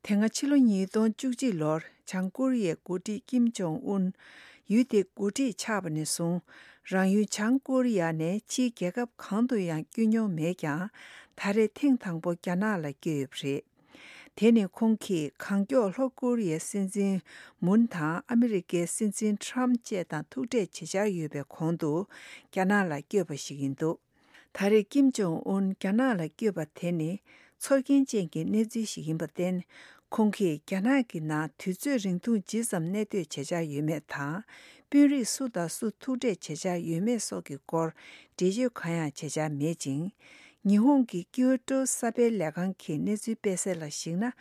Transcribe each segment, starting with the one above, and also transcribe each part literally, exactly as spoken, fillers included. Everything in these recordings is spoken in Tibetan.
དེ་སྔ་ཕྱི་ལོ་ཉིས་སྟོང་བཅུ་གཅིག་ལོར་བྱང་ཀོ་རི་ཡའི་འགོ་ཁྲིད་ཀིམ་ཇོང་ཨུན་ཡུལ་དེའི་འགོ་ཁྲིད་ཆགས་པ་ནས་བཟུང་། རང་ཡུལ་བྱང་ཀོ་རི་ཡ་ནས་ཕྱིའི་རྒྱལ་ཁབ་གང་དུ་ཡང་བསྐྱོད་མྱོང་མེད་ཀྱང་། ད་རེས་ཐེངས་དང་པོ་རྒྱ་ནག་ལ་བསྐྱོད་ཡོད་པ་རེད། དེ་ནི་ཁོང་གིས་གང་མགྱོགས་ལྷོ་ཀོ་རི་ཡའི་སྲིད་འཛིན་མུན་དང་ཨ་མི་རི་ཀའི་སྲིད་འཛིན་ཁྲམ་བཅས་དང་ཐུག་འཕྲད་བྱེད་འཆར་ཡོད་པའི་གོང་དུ་རྒྱ་ནག་ལ་བསྐྱོད་པ་ཞིག་ཡིན་འདུག་ད་རེས་ཀིམ་ཇོང་ཨུན་རྒྱ་ནག་ལ་བསྐྱོད་པ་དེ་ནི་ཚོར་སྐྱེན་ཅན་གྱི་གནས་ཚུལ་ཞིག་ཡིན་པར་བརྟེན། ཁོང་གིས་རྒྱ་ནག་གི་ནང་དུས་ཚོད་རིང་ཐུང་ཇི་ཙམ་གནས་སྡོད་བྱེད་འཆར་ཡོད་མེད་དང་། དཔོན་རིགས་སུ་དང་སུ་ཐུག་འཕྲད་བྱེད་འཆར་ཡོད་མེད་སོགས་ཀྱི་སྐོར་འགྲེལ་བརྗོད་གང་ཡང་བྱེད་འཆར་མེད་ཅིང་། ཉི་ཧོང་གི་ཀིའུ་ཏོ་གསར་སྤེལ་ལས་ཁང་གི་གནས་ཚུལ་སྤེལ་གསལ་ལ་གཞིགས་ན།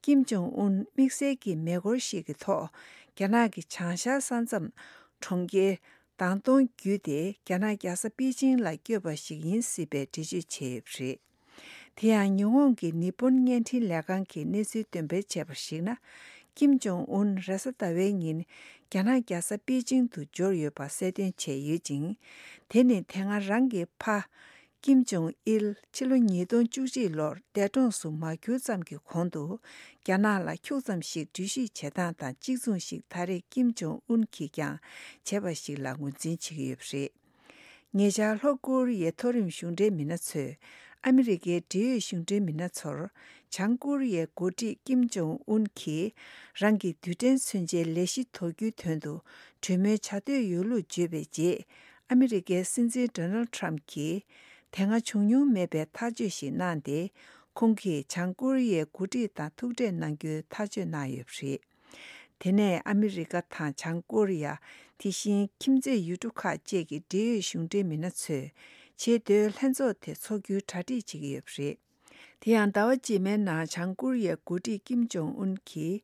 ཀིམ་ཇོང་ཨུན་དམིགས་བསལ་གྱི་མེ་འཁོར་ཞིག་གི་ཐོག་རྒྱ་ནག་གི་བྱང་ཤར་ས་མཚམས་གྲོང་ཁྱེར་དང་ཏོང་བརྒྱུད་དེ་རྒྱ་ནག་རྒྱལ་ས་པེ་ཅིང་ལ་བསྐྱོད་པ་ཞིག་ཡིན་སྲིད་པའི་འགྲེལ་བརྗོད་བྱས་ཡོད་པ་རེད། དེ་ཡང་ཉི་ཧོང་གི་ནི་པོན་བརྙན་འཕྲིན་ལས་ཁང་གིས་གནས་ཚུལ་འདོན་སྤེལ་བྱས་པར་གཞིགས་ན། ཀིམ་ཇོང་ཨུན་རེས་གཟའ་ཟླ་བའི་ཉིན་རྒྱ་ནག་རྒྱལ་ས་པེ་ཅིང་དུ་འབྱོར་ཡོད་པ་གསལ་སྟོན་བྱས་ཡོད་ཅིང་། དེ་ནི་དེ་སྔ་རང་གི་ཕ་ཀིམ་ཇོང་ཨིལ་ཕྱི་ལོ་ཉིས་སྟོང་བཅུ་གཅིག་ལོར་འདས་གྲོངས་སུ་མ་གྱུར་ཙམ་གྱི་གོང་དུ། རྒྱ་ནག་ལ་ཁྱུག་ཙམ་ཞིག་འགྲུལ་བཞུད་བྱེད་སྟངས་དང་གཅིག་མཚུངས་ཤིག་ད་རེས་ཀིམ་ཇོང་ཨུན་གྱིས་ཀྱང་བྱས་པ་ཞིག་ལ་ངོས་འཛིན་བྱེད་ཀྱི་ཡོད་པ་རེད། ཉེ་ཆར་ལྷོ་ཀོ་རི་ཡའི་མཐོ་རིམ་གཞུང་འབྲེལ་མི་སྣ་ཚོས་ཨ་མི་རི་ཀའི་འབྲེལ་ཡོད་གཞུང་འབྲེལ་མི་སྣ་ཚོར། བྱང་ཀོ་རི་ཡའི་འགོ་ཁྲིད་ཀིམ་ཇོང་ཨུན་གྱིས་རང་གི་རྡུལ་ཕྲན་མཚོན་ཆའི་ལས་གཞི་དོར་རྒྱུའི་དོན་དུ་གྲོས་མོལ་བྱ་འདོད་ཡོད་ལུགས་བརྗོད་པའི་རྗེས། ཨ་མི་རི་ཀའི་སྲིད་འཛིན་ཌོ་ནལ་ཁྲམ་གྱིས། དེ་སྔ་བྱུང་མྱོང་མེད་པའི་ཐག་གཅོད་ཞིག་གནང་སྟེ། ཁོང་གིས་བྱང་ཀོ་རི་ཡའི་འགོ་ཁྲིད་དང་ཐུག་འཕྲད་གནང་རྒྱུའི་ཐག་གཅོད་གནང་ཡོད་པ་རེད། དེ་ནས་ཨ་མི་རི་ཀ་དང་བྱང་ཀོ་རི་ཡ། དེ་བཞིན་ཁྱིམ་མཚེས་ཡུལ་གྲུ་ཁག་བཅས་ཀྱི་འབྲེལ་ཡོད་གཞུང་འབྲེལ་མི་སྣ་ཚོས་ཆེས་མཐོའི་ལྷན་ཚོགས་དེ་འཚོགས་རྒྱུའི་གྲ་སྒྲིག་བྱེད་ཀྱི་ཡོད་པ་རེད། དེ་ཡང་ཟླ་བ་རྗེས་མའི་ནང་བྱང་ཀོ་རི་ཡའི་འགོ་ཁྲིད་ཀིམ་ཇོང་ཨུན་གྱིས།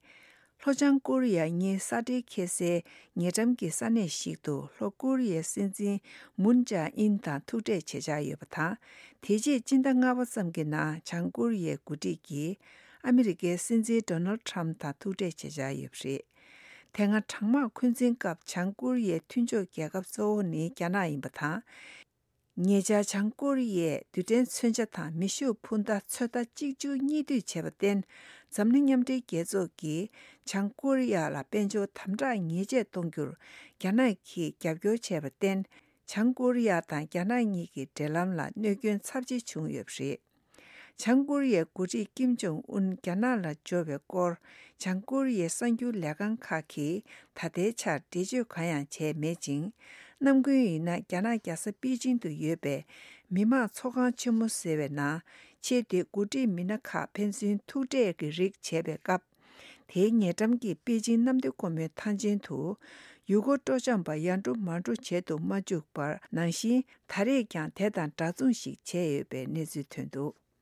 ལྷོ་བྱང་ཀོ་རི་ཡ་གཉིས་ས་འབྲེལ་འཁེལ་སའི་ཉེ་འགྲམ་གྱི་ས་གནས་ཤིག་ཏུ་ལྷོ་ཀོ་རི་ཡའི་སྲིད་འཛིན་མུན་ཅཱ་ཨིན་དང་ཐུག་འཕྲད་བྱེད་འཆར་ཡོད་པ་དང་། དེ་རྗེས་སྤྱི་ཟླ་ལྔ་པ་ཙམ་གྱི་ནང་བྱང་ཀོ་རི་ཡའི་འགོ་ཁྲིད་ཀྱིས་ཨ་མི་རི་ཀའི་སྲིད་འཛིན་ཌོ་ནལ་ཁྲམ་དང་ཐུག་འཕྲད་བྱེད་འཆར་ཡོད་པ་རེད། དེ་སྔ་གྲང་དམག་འཁོན་འཛིན་སྐབས་བྱང་ཀོ་རི་ཡའི་མཐུན་ཕྱོགས་རྒྱལ་ཁབ་གཙོ་བོ་ནི་རྒྱ་ནག་ཡིན་པ་དང་། ཉེ་ཆར་བྱང་ཀོ་རི་ཡས་རྡུལ་ཕྲན་མཚོན་ཆ་དང་མེ་ཤུགས་འཕུར་མདའ་ཚོད་ལྟ་གཅིག་མཇུག་གཉིས་མཐུད་བྱས་པར་བརྟེན། འཛམ་གླིང་མཉམ་འབྲེལ་རྒྱལ་ཚོགས་ཀྱིས་བྱང་ཀོ་རི་ཡ་ལ་དཔལ་འབྱོར་དམ་དྲག་ཉེས་ཆད་གཏོང་རྒྱུར་རྒྱ་ནག་གིས་རྒྱབ་སྐྱོར་བྱས་པར་བརྟེན། བྱང་ཀོ་རི་ཡ་དང་རྒྱ་ནག་གཉིས་ཀྱི་འབྲེལ་ལམ་ལ་གནོད་སྐྱོན་ཚབས་ཆེ་བྱུང་ཡོད་པ་རེད། བྱང་ཀོ་རི་ཡའི་འགོ་ཁྲིད་ཀིམ་ཇོང་ཨུན་རྒྱ་ནག་ལ་འབྱོར་བའི་སྐོར། བྱང་ཀོ་རི་ཡའི་གསར་འགྱུར་ལས་ཁང་ཁག་གིས་ད་ལྟའི་ཆར་འགྲེལ་བརྗོད་གང་ཡང་བྱས་མེད་ཅིང་། ནམ་རྒྱུན་ཡིན་ན་རྒྱ་ནག་རྒྱལ་ས་པེ་ཅིང་དུ་ཡོད་པའི་མི་དམངས་ཚོགས་ཁང་ཆེན་མོ་ཟེར་བའི་ནང་ཆེས་མཐོའི་འགོ་ཁྲིད་མི་སྣ་ཁག་ཕན་ཚུན་ཐུག་འཕྲད་ཀྱི་རིགས་བྱས་པའི་སྐབས། དེའི་ཉེ་འགྲམ་གྱི་པེ་ཅིང་གནམ་བདེ་སྒོ་མོའི་ཐང་ཆེན་དུ། ཡུལ་སྐོར་སྤྲོ་འཆམ་པ་ཡར་འགྲོ་མར་འགྲོ་བྱེད་དུ་མ་བཅུག་པར་ནང་བཞིན། ད་རེས་ཀྱང་དེ་དང་འདྲ་མཚུངས་ཤིག་བྱས་ཡོད་པའི་གནས་ཚུལ་ཐོན་འདུག